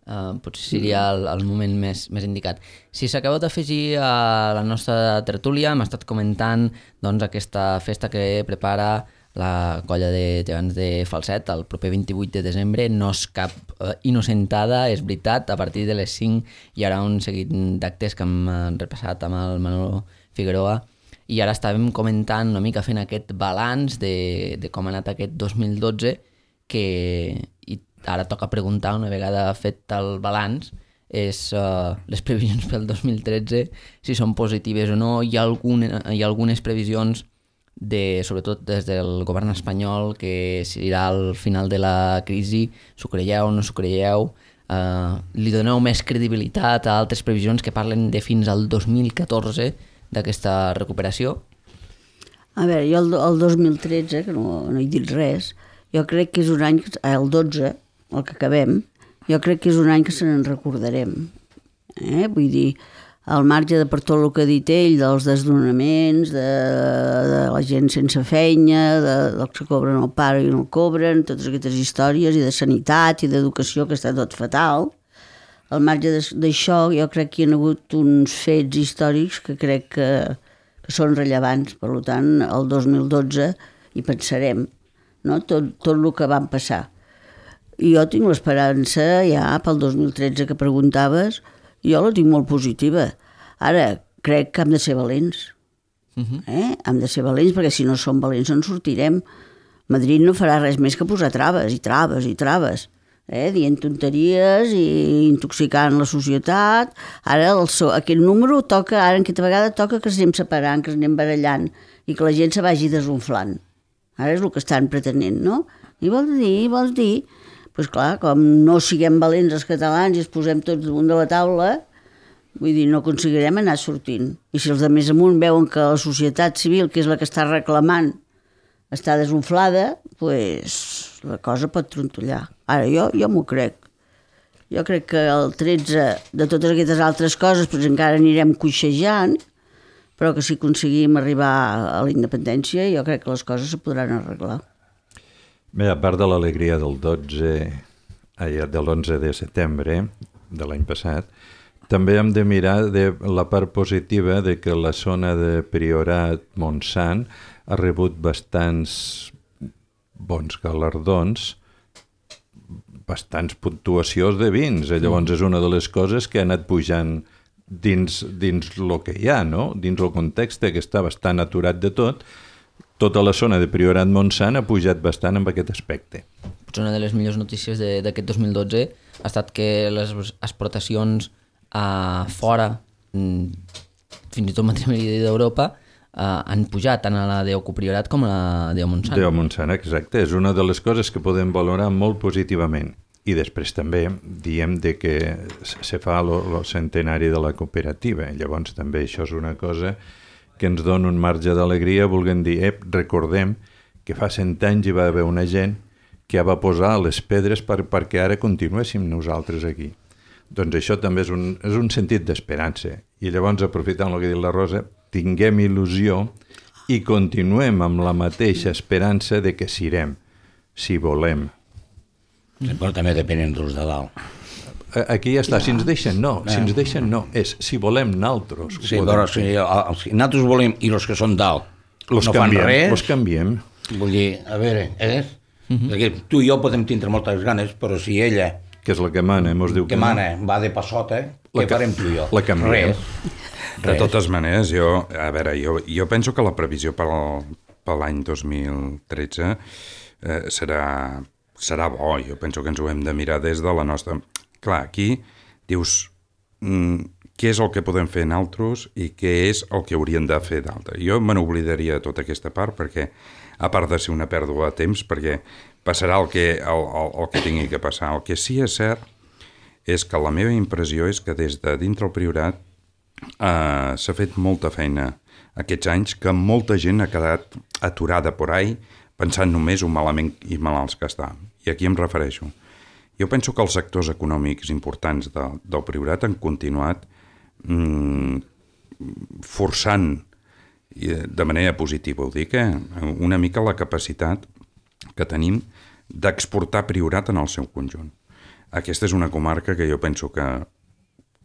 uh, potser seria el, el moment més, més indicat. Si s'acabeu d'afegir a la nostra tertúlia, hem estat comentant doncs, aquesta festa que prepara la colla de gegants de Falset el proper vint-i-vuit de desembre. No és cap uh, innocentada, és veritat. A partir de les cinc hi haurà un seguit d'actes que hem uh, repassat amb el Manolo Figueroa. I ara estàvem comentant una mica, fent aquest balanç de, de com ha anat aquest dos mil dotze, que i ara toca preguntar, una vegada fet el balanç, és uh, les previsions pel dos mil tretze, si són positives o no. Hi ha, algun, hi ha algunes previsions, de, sobretot des del govern espanyol, que serà al final de la crisi. S'ho creieu o no s'ho creieu? Uh, li doneu més credibilitat a altres previsions que parlen de fins al dos mil catorze d'aquesta recuperació? A veure, jo el, el dos mil tretze, que no, no he dit res, jo crec que és un any, el dotze, el que acabem, jo crec que és un any que se n'en recordarem. Eh? Vull dir, al marge de per tot el que ha dit ell, dels desnonaments, de, de la gent sense feina, de, dels que cobren el pare i no el cobren, totes aquestes històries, i de sanitat i d'educació, que està tot fatal. Al marge d'això, jo crec que hi ha hagut uns fets històrics que crec que, que són rellevants. Per tant, el dos mil dotze hi pensarem, no? tot, tot el que van passar. I jo tinc l'esperança ja pel dos mil tretze que preguntaves, jo la tinc molt positiva. Ara, crec que hem de ser valents. Uh-huh. eh? Hem de ser valents, perquè si no som valents no en sortirem. Madrid no farà res més que posar traves i traves i traves. Eh, dient tonteries i intoxicant la societat. Ara el so, aquest número toca, ara aquesta vegada toca que ens anem separant, que ens anem barallant i que la gent se vagi desunflant. Ara és el que estan pretenent, no? I vols dir, vols dir... Doncs pues clar, com no siguem valents els catalans i es posem tots damunt de la taula, vull dir, no aconseguirem anar sortint. I si els de més amunt veuen que la societat civil, que és la que està reclamant, està desunflada, doncs pues, la cosa pot trontollar. Ara, jo, jo m'ho crec. Jo crec que el tretze, de totes aquestes altres coses, pues encara anirem coixejant, però que si aconseguim arribar a la independència jo crec que les coses se podran arreglar. Bé, a part de l'alegria del dotze, ai, de l'onze de setembre de l'any passat, també hem de mirar de la part positiva de que la zona de Priorat Montsant ha rebut bastants bons galardons, bastants puntuacions de vins. Llavors és una de les coses que ha anat pujant dins, dins el que hi ha, no? Dins el context que està bastant aturat de tot. Tota la zona de Priorat Montsant ha pujat bastant amb aquest aspecte. Potser una de les millors notícies d'aquest dos mil dotze ha estat que les exportacions a fora, fins i tot matrimoni d'Europa, Uh, han pujat tant a la d'Oco Priorat com a la d'O Montsant. D'O Montsant, exacte. És una de les coses que podem valorar molt positivament. I després també diem de que se fa el centenari de la cooperativa. Llavors també això és una cosa que ens dona un marge d'alegria, volguem dir, ep, recordem que fa cent anys hi va haver una gent que va posar les pedres per, perquè ara continuéssim nosaltres aquí. Doncs això també és un, és un sentit d'esperança. I llavors, aprofitant el que ha dit la Rosa, tinguem il·lusió i continuem amb la mateixa esperança de que sirem, si volem. Però també depenen dels de dalt. Aquí ja està, si ens deixen no, si ens deixen no, és si volem naltros. Sí, però si, si nosaltres volem i els que són dalt los no canviem, fan res, los canviem. Vull dir, a veure, eh? Uh-huh. Tu i jo podem tindre moltes ganes, però si ella que és la que mana, mos diu que, que mana, no. Va de passota, què farem tu i jo? La canviem. Res. De totes maneres, jo, a veure, jo, jo penso que la previsió per, al, per l'any dos mil tretze eh, serà, serà bo. Jo penso que ens ho hem de mirar des de la nostra... Clar, aquí dius mm, què és el que podem fer nosaltres i què és el que haurien de fer d'altre. Jo me n'oblidaria de tota aquesta part perquè, a part de ser una pèrdua de temps, perquè passarà el que, el, el, el que tingui que passar. El que sí és cert és que la meva impressió és que des de dintre el Priorat Uh, s'ha fet molta feina aquests anys, que molta gent ha quedat aturada por ahí pensant només ho malament i malalts que està. I aquí em refereixo. Jo penso que els sectors econòmics importants de, del Priorat han continuat mm, forçant de manera positiva, ho dic, eh? Una mica la capacitat que tenim d'exportar Priorat en el seu conjunt. Aquesta és una comarca que jo penso que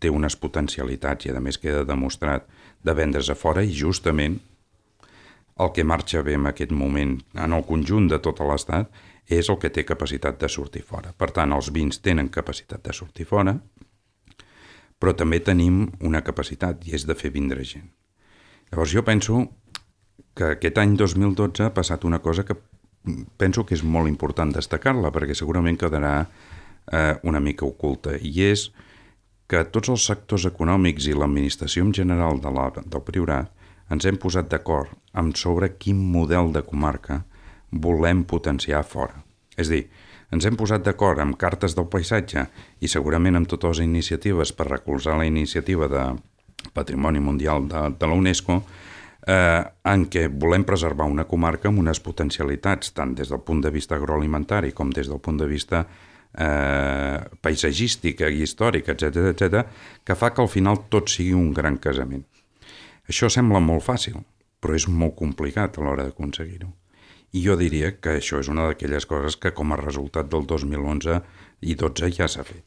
té unes potencialitats i a més queda demostrat de vendre's a fora i justament el que marxa bé en aquest moment en el conjunt de tot l'Estat és el que té capacitat de sortir fora. Per tant, els vins tenen capacitat de sortir fora, però també tenim una capacitat i és de fer vindre gent. Llavors jo penso que aquest any dos mil dotze ha passat una cosa que penso que és molt important destacar-la perquè segurament quedarà eh, una mica oculta i és que tots els sectors econòmics i l'administració en general de la, del Priorat ens hem posat d'acord amb sobre quin model de comarca volem potenciar fora. És a dir, ens hem posat d'acord amb cartes del paisatge i segurament amb totes les iniciatives per recolzar la iniciativa de Patrimoni Mundial de, de la UNESCO eh, en què volem preservar una comarca amb unes potencialitats tant des del punt de vista agroalimentari com des del punt de vista Eh, paisatgística i històrica, etcètera, etcètera, que fa que al final tot sigui un gran casament. Això sembla molt fàcil, però és molt complicat a l'hora d'aconseguir-ho. I jo diria que això és una d'aquelles coses que com a resultat del dos mil onze i dotze ja s'ha fet.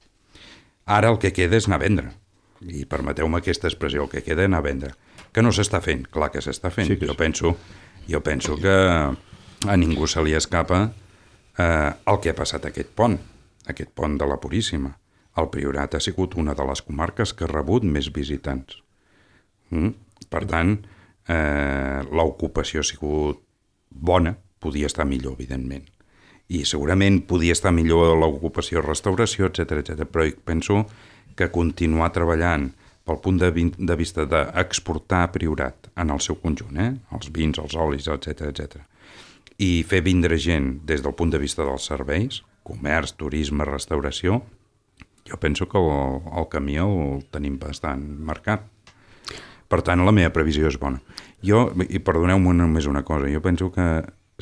Ara el que queda és anar a vendre. I permeteu-me aquesta expressió, el que queda és anar a vendre. Que no s'està fent? Clar que s'està fent. Sí, jo, penso, jo penso que a ningú se li escapa eh, el que ha passat aquest pont. Aquest pont de la Puríssima. El Priorat ha sigut una de les comarques que ha rebut més visitants. Mm? Per tant, eh, l'ocupació ha sigut bona, podia estar millor, evidentment. I segurament podia estar millor l'ocupació, restauració, etcètera, etcètera. Però penso que continuar treballant pel punt de, de vista d'exportar Priorat en el seu conjunt, eh? Els vins, els olis, etcètera, etcètera, i fer vindre gent des del punt de vista dels serveis, comerç, turisme, restauració, jo penso que el, el camí el tenim bastant marcat. Per tant, la meva previsió és bona. Jo, i perdoneu-me només una cosa, jo penso que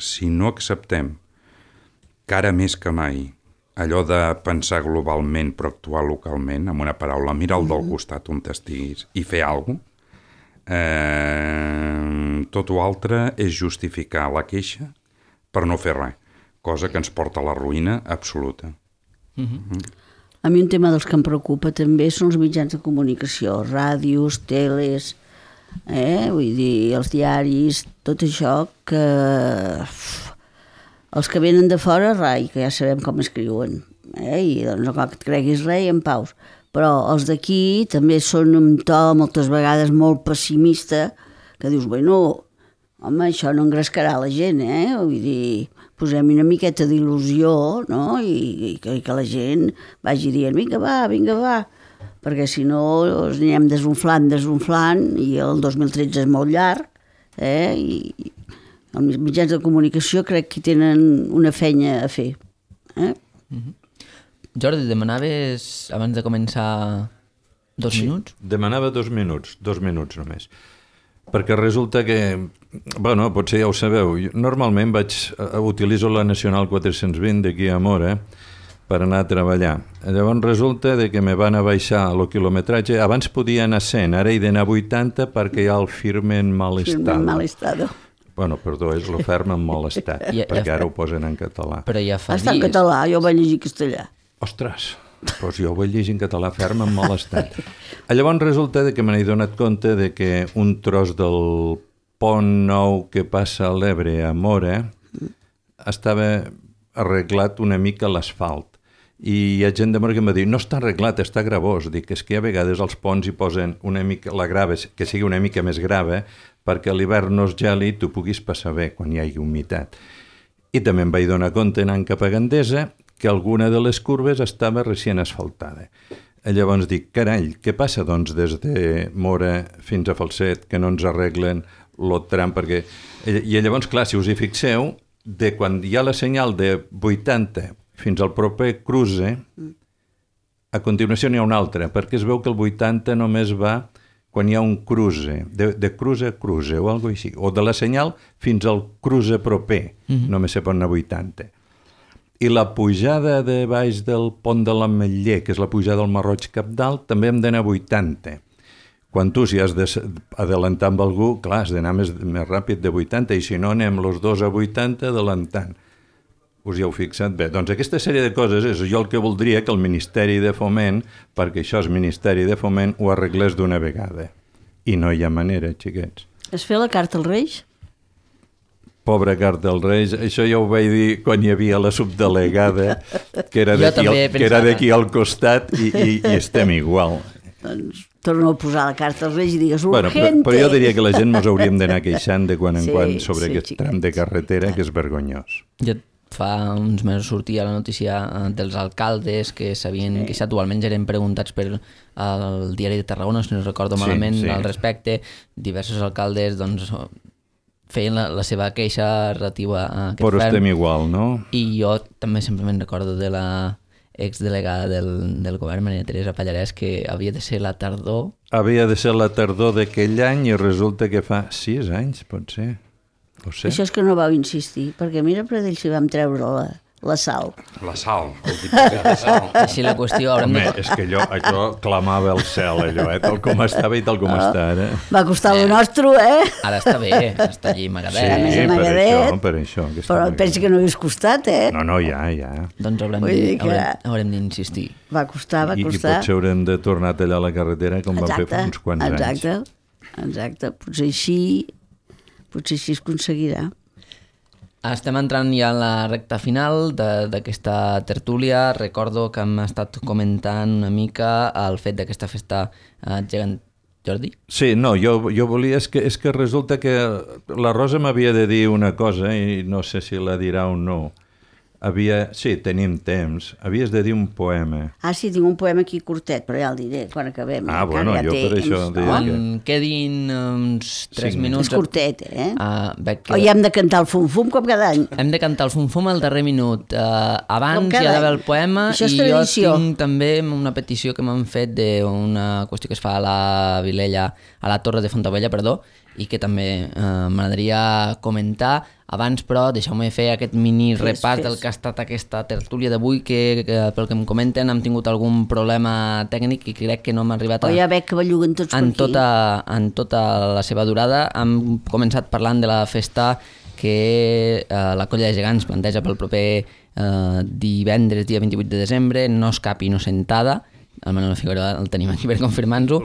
si no acceptem que ara més que mai allò de pensar globalment però actuar localment, amb una paraula, mira el del costat on estiguis i fer alguna cosa, eh, tot o altre és justificar la queixa per no fer res, cosa que ens porta a la ruïna absoluta. Mm-hmm. A mi un tema dels que em preocupa també són els mitjans de comunicació, ràdios, teles, eh? Vull dir, els diaris, tot això que... Uf, els que venen de fora, rai, que ja sabem com escriuen, eh? I doncs no cal que et creguis res i en paus. Però els d'aquí també són un to moltes vegades molt pessimista, que dius, bueno, home, això no engrescarà la gent, eh? Vull dir, posem una miqueta d'il·lusió, no? I, i, que, i que la gent vagi dient, vinga, va, vinga, va, perquè si no ens anirem desunflant, desunflant, i el dos mil tretze és molt llarg, eh? I els mitjans de comunicació crec que tenen una feina a fer. Eh? Mm-hmm. Jordi, demanaves, abans de començar, dos sí, minuts? Demanava dos minuts, dos minuts només. Perquè resulta que, bueno, potser ja ho sabeu, normalment vaig, utilitzo la Nacional quatre-cents vint d'aquí a Móra per anar a treballar. Llavors resulta de que me van a baixar el quilometratge, abans podia anar cent, ara he d'anar vuitanta perquè hi ha el firme en mal estado. Firme en mal estado. Bueno, perdó, és la ferma en mal estat, ja, perquè ja, ara ho posen en català. Però ja fa Està dies. en català, jo ho vaig llegir castellà. Ostres, doncs jo ho vaig llegir en català, ferma en mal estat. Llavors resulta que me n'he donat compte de que un tros del pont nou que passa a l'Ebre a Móra estava arreglat una mica l'asfalt. I hi ha gent de Móra que em va dir, no està arreglat, està gravós. Dic, és que a vegades els ponts hi posen una mica, la grava, que sigui una mica més grava, perquè a l'hivern no es geli i tu puguis passar bé quan hi hagi humitat. I també em vaig donar compte anant cap a Gandesa que alguna de les curves estava recient asfaltada. Llavors dic, carall, què passa doncs des de Móra fins a Falset que no ens arreglen el tram? Perquè... I llavors, clar, si us hi fixeu, de quan hi ha la senyal de vuitanta fins al proper cruce, a continuació n'hi ha una altra, perquè es veu que el vuitanta només va quan hi ha un cruce, de, de cruce a cruce o alguna cosa així, o de la senyal fins al cruce proper, mm-hmm. només se pot anar a vuitanta. I la pujada de baix del pont de l'Ametller, que és la pujada del Marroig Capdalt, també hem d'anar a vuitanta. Quan tu, si has d'adelantar amb algú, clar, has d'anar més, més ràpid de vuitanta, i si no, anem els dos a vuitanta adelantant. Us hi heu fixat? Bé, doncs aquesta sèrie de coses és jo el que voldria que el Ministeri de Foment, perquè això és Ministeri de Foment, ho arreglés d'una vegada. I no hi ha manera, xiquets. Es fer la carta als Reis? Pobre carta als Reis, això ja ho vaig dir quan hi havia la subdelegada, que era d'aquí al, que era d'aquí al costat, i, i, i estem igual. Doncs torno a posar la carta als Reis i digues urgente. Bueno, però, però jo diria que la gent ens hauríem d'anar queixant de quan en sí, quan sobre sí, aquest xiquets. tram de carretera, que és vergonyós. Jo fa uns mesos sortia la notícia dels alcaldes que s'havien sí. queixat, o almenys eren preguntats per el diari de Tarragona, si no recordo malament, sí, sí. al respecte. Diversos alcaldes doncs, feien la, la seva queixa relativa a aquest Però ferm. estem igual, no? I jo també sempre me'n recordo de la exdelegada del, del govern, Maria Teresa Pallarès, que havia de ser la tardor. Havia de ser la tardor d'aquell any i resulta que fa sis anys, pot ser. Sé. Això és que no vau insistir, perquè mira per d'ell si vam treure la, la sal. La sal, el diputat de sal. Així la qüestió... Home, de... és que allò, allò clamava el cel, allò, eh? Tal com estava i tal com oh, està ara. Va costar eh. el nostre, eh? Ara està bé, està allí Magadet. Sí, eh? per això, per això. Però pensi que no hagués costat, eh? No, no, ja, ja. Doncs haurem, de, que... haurem, haurem d'insistir. Va costar, va I, costar. I potser haurem de tornar a tallar la carretera com exacte, vam fer fa uns quants exacte, anys. Exacte, exacte. Potser així, potser així es aconseguirà. Estem entrant ja en la recta final d'aquesta tertúlia. Recordo que hem estat comentant una mica el fet d'aquesta festa eh, gegant... Jordi? Sí, no, jo, jo volia... És que, és que resulta que la Rosa m'havia de dir una cosa i no sé si la dirà o no. Havia... Sí, tenim temps. Havies de dir un poema. Ah, sí, tinc un poema aquí curtet, però ja el diré quan acabem. Ah, bueno, ja jo per això... No? Deia Quan que... quedin uns tres minuts... És curtet, eh? Uh, que... O ja hem de cantar el fum-fum com cada any. Hem de cantar el fum-fum al darrer minut. Uh, abans hi ha d'haver el poema i jo tinc també una petició que m'han fet d'una qüestió que es fa a la Vilella, a la Torre de Fontavella, perdó, i que també eh, m'agradaria comentar. Abans, però, deixeu-me fer aquest mini Fes, repàs fes. del que ha estat aquesta tertúlia d'avui, que, que pel que em comenten hem tingut algun problema tècnic i crec que no hem arribat a... O ja veig que belluguen tots per en aquí. tota, en tota la seva durada. Hem començat parlant de la festa que eh, la Colla de Gegants planteja pel proper eh, divendres, dia vint-i-vuit de desembre, No escapi inocentada. El Manolo Figueroa el tenim aquí per confirmar-nos-ho.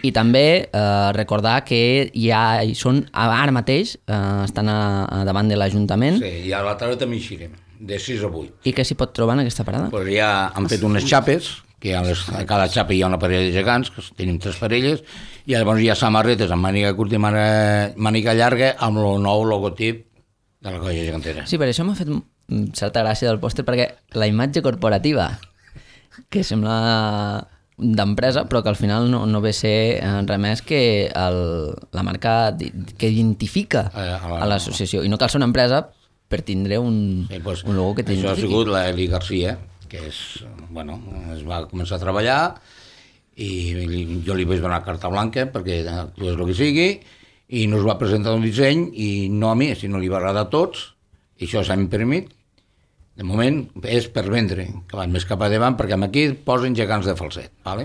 I també eh, recordar que ja hi són ara mateix, eh, estan a, a davant de l'Ajuntament. Sí, i a la tarda també hi serem, de sis a vuit. I què s'hi pot trobar en aquesta parada? Pues ja han fet unes xapes, que a, les, a cada xapa hi ha una parella de gegants, que tenim tres parelles, i llavors hi ha samarretes amb màniga curta i màniga llarga amb el nou logotip de la Colla Gegantera. Sí, per això m'ha fet certa gràcia del pòster, perquè la imatge corporativa, que sembla d'empresa, però que al final no, no ve a ser res més que el, la marca di, que identifica a, a, a l'associació. I no cal ser una empresa per tindre un, sí, pues, un logo que t'identifiqui. Això ha t'identifiqui. sigut l'Eli Garcia, que és, bueno, es va començar a treballar i li, jo li vaig donar carta blanca perquè actués el que sigui i nos va presentar un disseny i no a mi, sinó li va agradar a tots i això s'ha imprimit. De moment és per vendre, que van més cap a davant, perquè aquí posen gegants de falset, ¿vale?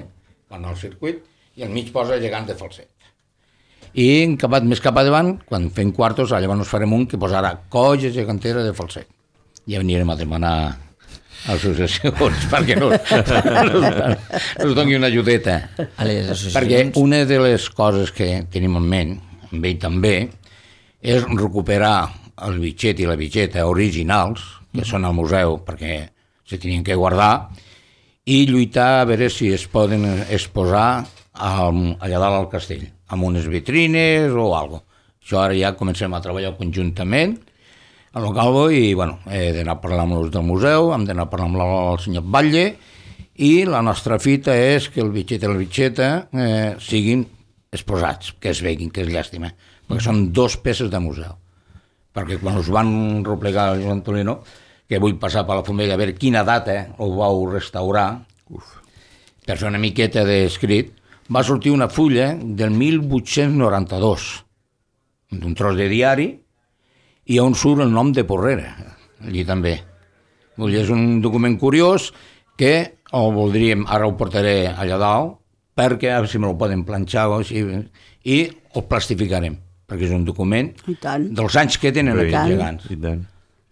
Van al circuit i al mig posa gegants de falset. I en acabat més cap a davant, quan fem quartos, llavors ens farem un que posarà Colla Gegantera de falset. Ja venirem a demanar associacions perquè no, no, no doni una ajudeta. A les associacions... Perquè una de les coses que tenim en ment, amb ell també, és recuperar el bitxet i la bitxeta originals, que són al museu perquè se tenien que guardar, i lluitar a veure si es poden exposar al, allà dalt al castell, amb unes vitrines o alguna cosa. Això ara ja comencem a treballar conjuntament a lo Calvo i bueno, he d'anar a parlar amb els del museu, hem d'anar a parlar amb el senyor Batlle i la nostra fita és que el bitxet i la bitxeta eh, siguin exposats, que es veguin, que és llàstima, perquè són dos peces de museu. Perquè quan us van replegar el Joan Tolino, que vull passar per la Fumella a veure quina data ho vau restaurar, Uf. per fer una miqueta d'escrit, va sortir una fulla del mil vuit-cents noranta-dos, d'un tros de diari, i on surt el nom de Porrera, allí també. Vull dir, és un document curiós que el voldríem, ara ho portaré allà dalt, perquè a veure si me lo poden planxar o així, i el plastificarem, perquè és un document dels anys que tenen aquests gegants. I tant.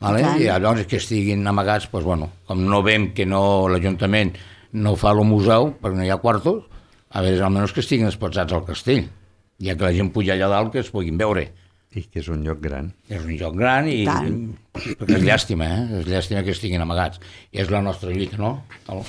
Vale? I, I llavors que estiguin amagats, doncs, bueno, com no veiem que no l'Ajuntament no fa el museu, perquè no hi ha quartos, a veure, almenys que estiguin exposats al castell, ja que la gent puja allà dalt que es puguin veure. I que és un lloc gran. És un lloc gran i... perquè és llàstima, eh? És llàstima que estiguin amagats. I és la nostra lluita, no? El...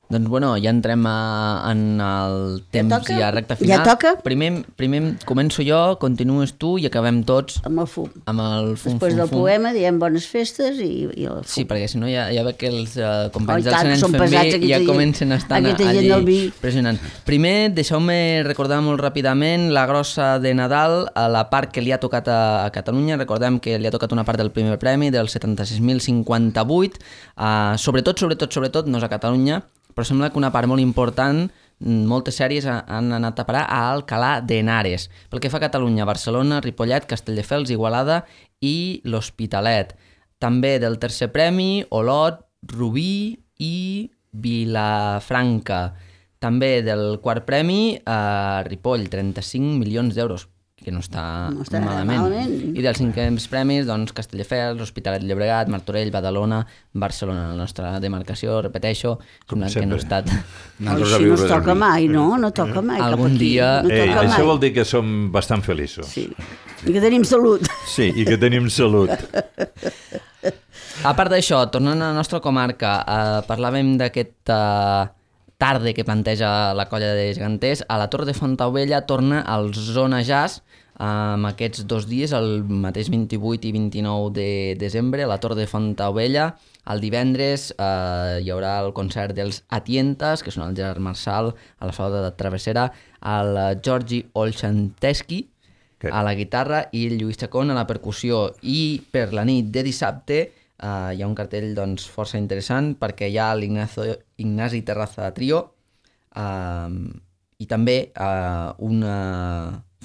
Doncs bueno, ja entrem a, en el temps ja, ja recta final. Ja toca? Primer, primer començo jo, continues tu i acabem tots amb el fum. Amb el fum, Després fum, del fum. poema diem bones festes i, i el fum. Sí, perquè si no ja, ja veig que els uh, companys Oh, del Senens fem bé ja gent, comencen a estar allí pressionant. Primer, deixeu-me recordar molt ràpidament la grossa de Nadal, a la part que li ha tocat a, a Catalunya. Recordem que li ha tocat una part del primer premi, del setanta-sis mil cinquanta-vuit, uh, sobretot, sobretot, sobretot, no és a Catalunya, però sembla que una part molt important, moltes sèries han anat a parar a Alcalá de Henares. Pel que fa a Catalunya, Barcelona, Ripollet, Castelldefels, Igualada i l'Hospitalet. També del tercer premi, Olot, Rubí i Vilafranca. També del quart premi, a Ripoll, trenta-cinc milions d'euros, que no està, no està malament. malament. I dels cinquens premis, doncs, Castelldefels, Hospitalet de Llobregat, Martorell, Badalona, Barcelona. La nostra demarcació, repeteixo, sembla que no ha estat... No, així no es toca mai, no? No toca mai Algun cap aquí. dia... No Ei, toca això mai. vol dir que som bastant feliços. Sí, i que tenim salut. Sí, i que tenim salut. A part d'això, tornant a la nostra comarca, eh, parlàvem d'aquesta tarda que planteja la Colla de Geganters. A la Torre de Fontaubella torna al Zona Jazz amb aquests dos dies, el mateix vint-i-vuit i vint-i-nou de desembre, a la Torre de Fontaubella. El divendres eh, hi haurà el concert dels Atientes, que són el Gerard Marçal a la sala de Travessera, el Georgi Olxanteschi a la guitarra i el Lluís Chacón a la percussió. I per la nit de dissabte Uh, hi ha un cartell doncs, força interessant perquè hi ha l'Ignasi Terraza Trio uh, i també uh, una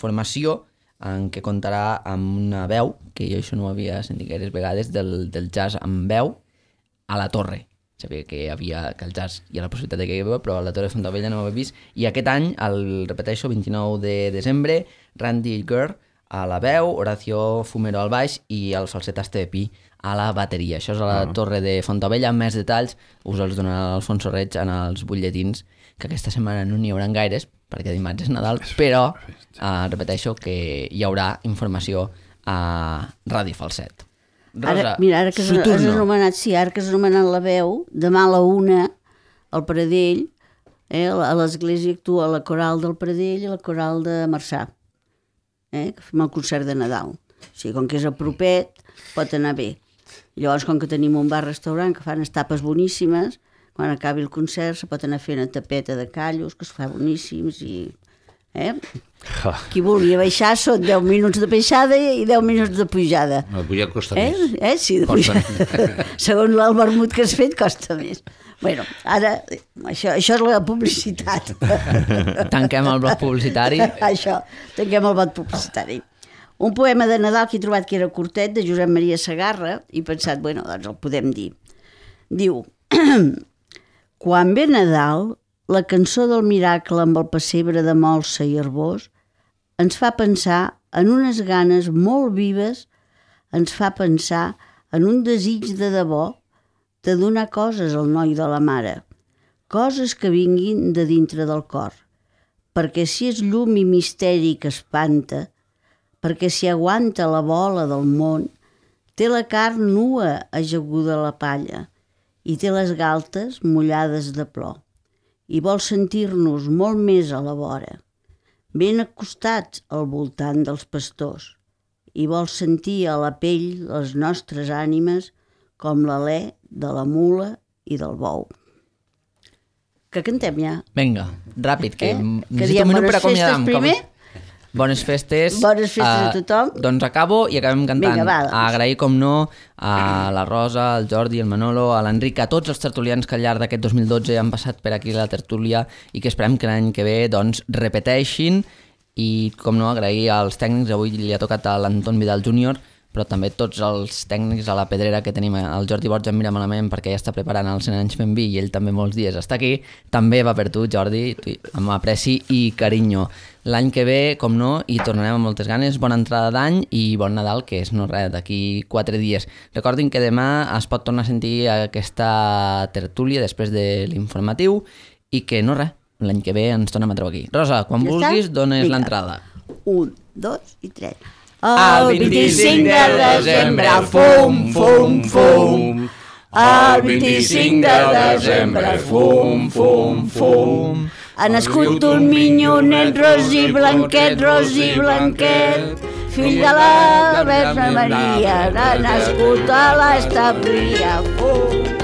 formació en què contarà amb una veu, que jo això no ho havia sentit gaires vegades, del, del jazz amb veu a la Torre. Sabia que hi havia, que el jazz hi ha la possibilitat de que hi havia, però a la Torre de Fontaubella no ho havia vist. I aquest any, el repeteixo, vint-i-nou de desembre, Randy Gurr a la veu, Horacio Fumero al baix i el falset Estepi a la bateria. Això és a la ah. Torre de Fontaubella. Més detalls us els donarà l'Alfonso Reig en els butlletins, que aquesta setmana no n'hi haurà gaires, perquè dimarts és Nadal, però uh, repeteixo que hi haurà informació a Ràdio Falset. Rosa, ara, mira, ara que has, has anomenat, sí, ara que has anomenat la veu, demà a la una, al Pradell, eh, a l'església actua la coral del Pradell i la coral de Marçà, eh, que fem el concert de Nadal. O sigui, com que és a propet, pot anar bé. Llavors, com que tenim un bar-restaurant que fan estapes boníssimes, quan acabi el concert se pot anar fent una tapeta de callos, que es fa boníssims, i... Eh? Qui vulgui baixar són deu minuts de baixada i deu minuts de pujada. No, pujar costa eh? més. Eh? Sí, de pujada. Segons el vermut que has fet, costa més. Bueno, ara, això, això és la publicitat. Tanquem el bloc publicitari. Això, tanquem el bloc publicitari. Un poema de Nadal que he trobat que era curtet, de Josep Maria Segarra, i he pensat, bueno, doncs el podem dir. Diu: quan ve Nadal, la cançó del miracle amb el pessebre de molsa i herbós ens fa pensar en unes ganes molt vives, ens fa pensar en un desig de debò de donar coses al noi de la mare, coses que vinguin de dintre del cor, perquè si és llum i misteri que espanta, perquè si aguanta la bola del món, té la carn nua ajaguda a la palla i té les galtes mullades de plor. I vol sentir-nos molt més a la vora, ben acostats al voltant dels pastors, i vol sentir a la pell les nostres ànimes com l'alè de la mula i del bou. Que cantem ja? Vinga, ràpid, que eh? necessito un minut per acomiadar-me. Primer? Bones festes. Bones festes uh, a tothom. Doncs acabo i acabem cantant. Vinga, va, doncs. Agrair, com no, a la Rosa, al Jordi, al Manolo, a l'Enric, a tots els tertulians que al llarg d'aquest dos mil dotze han passat per aquí la tertúlia i que esperem que l'any que ve doncs, repeteixin. I, com no, agrair als tècnics. Avui li ha tocat a l'Anton Vidal júnior, però també tots els tècnics a la pedrera que tenim. El Jordi Borja em mira malament perquè ja està preparant els cent anys fent vi i ell també molts dies està aquí. També va per tu, Jordi, amb apreci i carinyo. L'any que ve, com no, hi tornarem amb moltes ganes. Bona entrada d'any i bon Nadal, que és no res, d'aquí quatre dies. Recordin que demà es pot tornar a sentir aquesta tertúlia després de l'informatiu i que no res, l'any que ve ens tornem a trobar aquí. Rosa, quan ja vulguis, està? Dones l'entrada. Un, dos i tres. El vint-i-cinc de desembre, fum, fum, fum. El vint-i-cinc de desembre, fum, fum, fum. Ha nascut un minyonet ros i blanquet, ros i blanquet, fill de la Verge Maria, ha nascut a l'establia, fum.